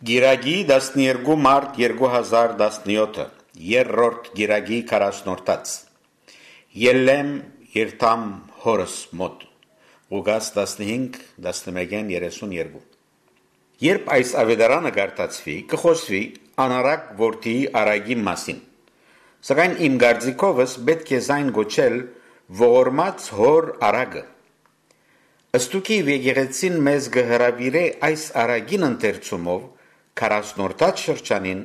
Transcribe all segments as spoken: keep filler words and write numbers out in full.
Կիրակի տասներկու մարտ երկու հազար տասնեօթը, երրորդ կիրակի քառասնորդաց։ Ելլեմ երթամ հորս մօտ։ Ղուկաս տասնհինգ, տասնմէկէն երեսուն երկու։ Երբ այս աւետարանը կարդացուի, կը խօսուի անառակ որդիի արագի մասին։ Սակայն իմ կարծիքովս պէտք է զայն կոչել ողորմած հոր արագը։ Ստուգի եկեղեցին մեզ կը հրաւիրէ այս արագին ընթերցումով քառասնորդաց շրջանին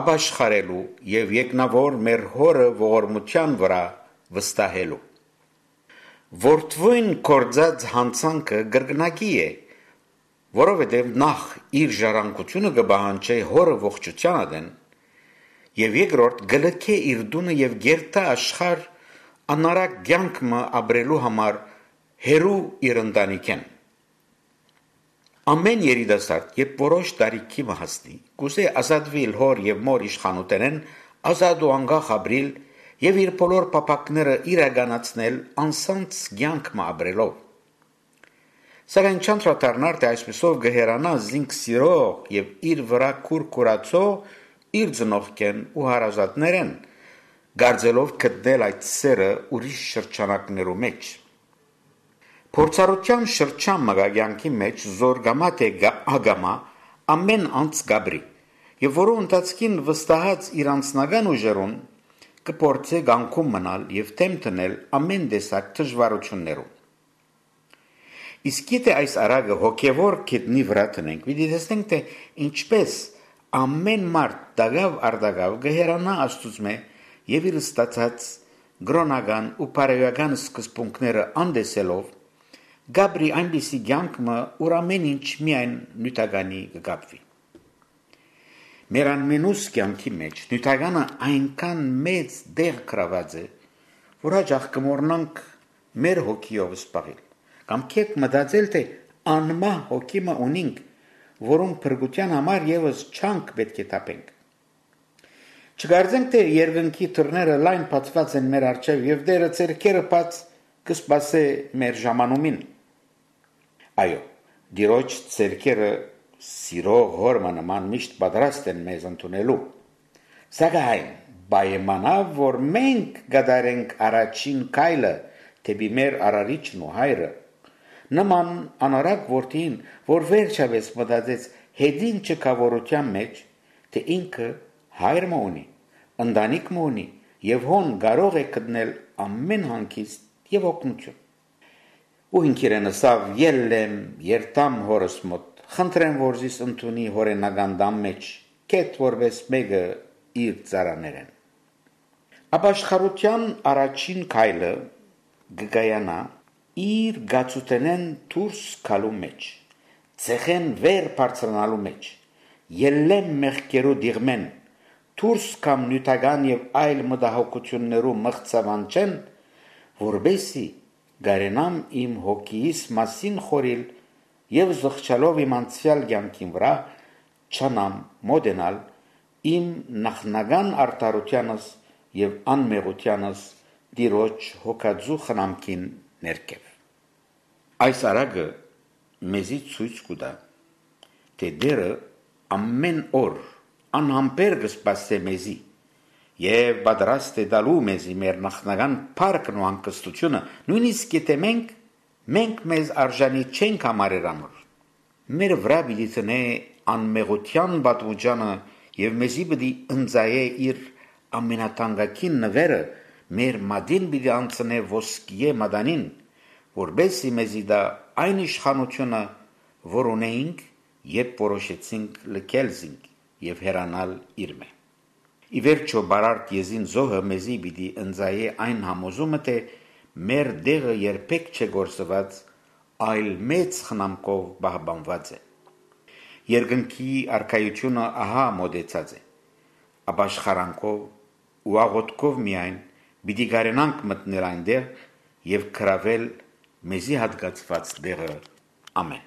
ապաշխարելու եւ եկնաւոր մեր հորը ողորմութեան վրայ վստահելու։ Որդւոյն կործած յանցանքը կրկնակի է, որովհետեւ նախ իր ժառանգութիւնը կը պահանջէ հորը ողջութեան ատեն, եւ երկրորդ կը լքէ իր տունը եւ կերտայ աշխարհ անառակ կեանք մը ապրելու համար հեռու իր ընտանիքէն։ Ամէն երիտասարդ, երբ որոշ տարիքի մը հասնի, կ'ուզէ ազատուիլ հոր եւ մոր իշխանութենէն, ազատ ու անկախ ապրիլ եւ իր բոլոր փափաքները իրականացնել անսանձ կեանք մը ապրելով։ Սակայն չանդրադառնար, թէ այսպիսով կը հեռանայ զինք սիրող եւ իր վրայ քուր քուրացող իր ծնողքէն ու հարազատներէն, կարծելով գտնել այդ սերը ուրիշ շրջանակներու մէջ։ Փորձառութեան շրջան մը կայ կեանքի մէջ, զոր կամայ թէ կա-, ակամայ, ամէն անձ կ'ապրի, եւ որու ընթացքին վստահած իր անձնական ուժերուն կը փորձէ կանգուն մնալ եւ դէմ դնել ամէն տեսակ դժուարութիւններու։ Իսկ եթէ այս արագը հոգեվոր գետնի վրայ դնենք, պիտի տեսնենք, թէ ինչպէս ամէն մարդ տակաւ արտակաւ կը հեռանայ Աստուծմէ եւ իր ստացած կրօնական ու բարոյական սկզբունքները անտեսելով, կ'ապրի այնպիսի կեանք մը, ուր ամէն ինչ միայն նիւթականի կը կապուի։ Մեր անմենուս կեանքի մէջ նիւթականը այնքան մեծ տեղ գրաւած է, որ յաճախ կը մոռնանք մեր հոգիով զբաղիլ, կամ կերպ մտածել, թէ անմահ հոգի մը ունինք, որուն փրկութեան համար եւս չանք պէտք է թափենք։ Չկարծենք, թէ երկնքի դռները լայն բացուած են մեր առջեւ եւ Տէրը ձեռքերը բաց կը սպասէ մեր ժամանումին։ Այո, Տիրոջ ձեռքերը սիրող հոր մը նման միշտ պատրաստ են մեզ ընդունելու։ Սակայն պայմանաւ, որ մենք կատարենք առաջին քայլը դէպի մեր Արարիչն ու Հայրը, նման անառակ որդին, որ վերջապէս մտածեց հետին չքաւորութեան մէջ, թէ ինքը հայր մը ունի, ընտանիք մը ունի եւ հոն կարող է գտնել ամէն հանգիստ եւ օգնութիւն։ Ու ինքիրեն ըսաւ. «Ելլեմ, երթամ հորս մօտ, խնդրեմ, որ զիս ընդունի հօրենական տան մէջ, կեթ որպէս մէկը իր ծառաներէն»։ Ապաշխարութեան առաջին քայլը կը կայանայ իր գացութենէն դուրս գալու մէջ, ցեխէն վեր բարձրանալու մէջ, ելլեմ մեղքերու տիղմէն, դուրս գամ նիւթական եւ այլ մտահոգութիւններու մղձաւանջէն, որպէսզի կարենամ իմ հոգիիս մասին խորհիլ եւ զղջալով իմ անցեալ կեանքին վրայ չանամ մօտենալ իմ նախնական արդարութեանս եւ անմեղութեանս Տիրոջ հոգածու խնամքին ներքեւ։ Այս արագը մեզի ցոյց կու տայ, թէ Տէրը ամէն օր անհամբեր կը սպասէ մեզի եւ պատրաստ է տալու մեզի մեր նախնական փառքն ու հանգստութիւնը, նոյնիսկ եթէ մենք, մենք մեզ արժանի չենք համարեր անոր։ Մեր վրայ պիտի դնէ անմեղութեան պատմուճանը եւ մեզի պիտի ընծայէ իր ամենաթանկագին նուէրը, մեր մատին պիտի անցնէ ոսկիէ մատանին, որպէսզի մեզի տայ այն իշխանութիւնը, որ ունէինք, երբ որոշեցինք լքել զինք եւ հեռանալ իրմէ։ Ի վերջոյ, բարարդ եզին զոհը մեզի պիտի ընծայէ այն համոզումը, թէ մեր տեղը երբեք չէ կորսուած, այլ մեծ խնամքով պահպանուած է։ Երկնքի արքայութիւնը ահա մօտեցած է։ Ապաշխարանքով ու աղօթքով միայն պիտի կարենանք մտնել այնտեղ եւ գրաւել մեզի հատկացուած տեղը։ Ամէն։